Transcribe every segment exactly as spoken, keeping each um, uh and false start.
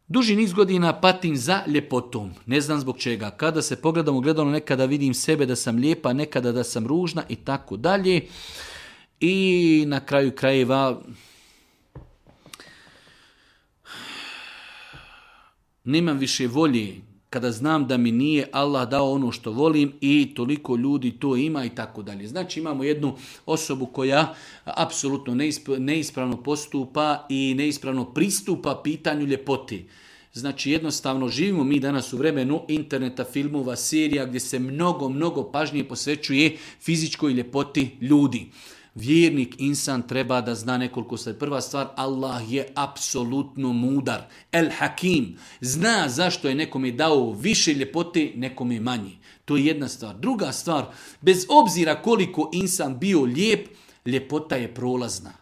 Duži niz godina patim za ljepotom. Ne znam zbog čega. Kada se pogledam u gledalo, nekada vidim sebe da sam lijepa, nekada da sam ružna i tako dalje. I na kraju krajeva nemam više volje kada znam da mi nije Allah dao ono što volim i toliko ljudi to ima i tako dalje. Znači imamo jednu osobu koja apsolutno neispravno postupa i neispravno pristupa pitanju ljepoti. Znači jednostavno živimo mi danas u vremenu interneta, filmova, serija gdje se mnogo, mnogo pažnje posvećuje fizičkoj ljepoti ljudi. Vjernik, insan treba da zna nekoliko stvari. Prva stvar, Allah je apsolutno mudar. El Hakim. Zna zašto je nekome dao više ljepote, nekome manje. To je jedna stvar. Druga stvar, bez obzira koliko insan bio lijep, ljepota je prolazna.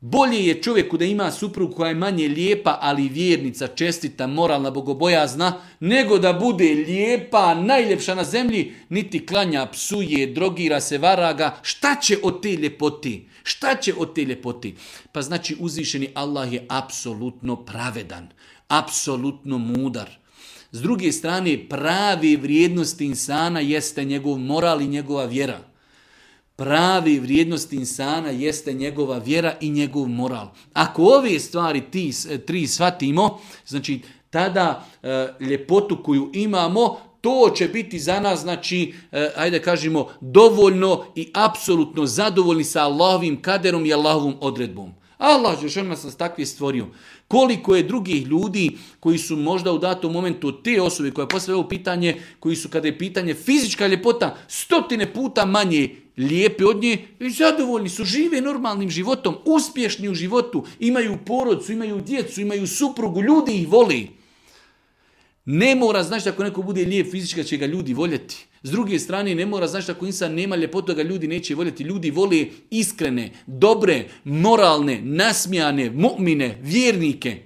Bolje je čovjeku da ima suprugu koja je manje lijepa, ali vjernica, čestita, moralna, bogobojazna, nego da bude lijepa, najljepša na zemlji, niti klanja, psuje, drogira se, varaga. Šta će od te ljepoti? Šta će od te ljepoti? Pa znači uzvišeni Allah je apsolutno pravedan, apsolutno mudar. S druge strane, pravi vrijednosti insana jeste njegov moral i njegova vjera. Pravi vrijednost insana jeste njegova vjera i njegov moral. Ako ove stvari ti, tri shvatimo, znači tada e, ljepotu koju imamo, to će biti za nas, znači, e, ajde kažemo, dovoljno i apsolutno zadovoljni sa Allahovim kaderom i Allahovom odredbom. Allah je nas takvi stvorio. Koliko je drugih ljudi koji su možda u datom momentu te osobe koja postavlja ovo pitanje, koji su kada je pitanje fizička ljepota stotine puta manje lijepi od nje i zadovoljni su, žive normalnim životom, uspješni u životu, imaju porodcu, imaju djecu, imaju suprugu, ljudi ih voli. Ne mora znači ako neko bude lijep fizički će ga ljudi voljeti. S druge strane ne mora znači ako insan nema ljepotu ga ljudi neće voljeti. Ljudi vole iskrene, dobre, moralne, nasmijane, mu'mine, vjernike.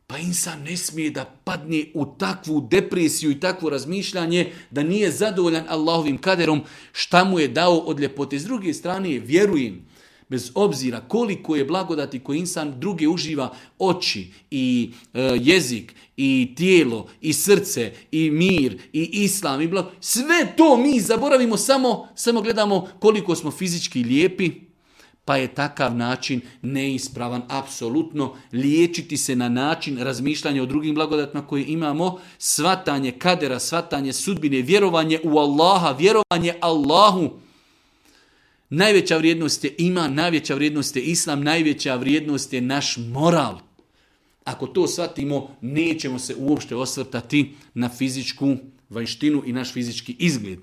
Pa insan ne smije da padne u takvu depresiju i takvo razmišljanje da nije zadovoljan Allahovim kaderom šta mu je dao od ljepote. S druge strane vjerujem, bez obzira koliko je blagodati koji insan druge uživa, oči i e, jezik i tijelo i srce i mir i islam i blago, sve to mi zaboravimo, samo, samo gledamo koliko smo fizički lijepi, pa je takav način neispravan apsolutno. Liječiti se na način razmišljanja o drugim blagodatima koje imamo, svatanje kadera, svatanje sudbine, vjerovanje u Allaha, vjerovanje Allahu. Najveća vrijednost je iman, najveća vrijednost je islam, najveća vrijednost je naš moral. Ako to shvatimo, nećemo se uopšte osvrtati na fizičku vanjštinu i naš fizički izgled.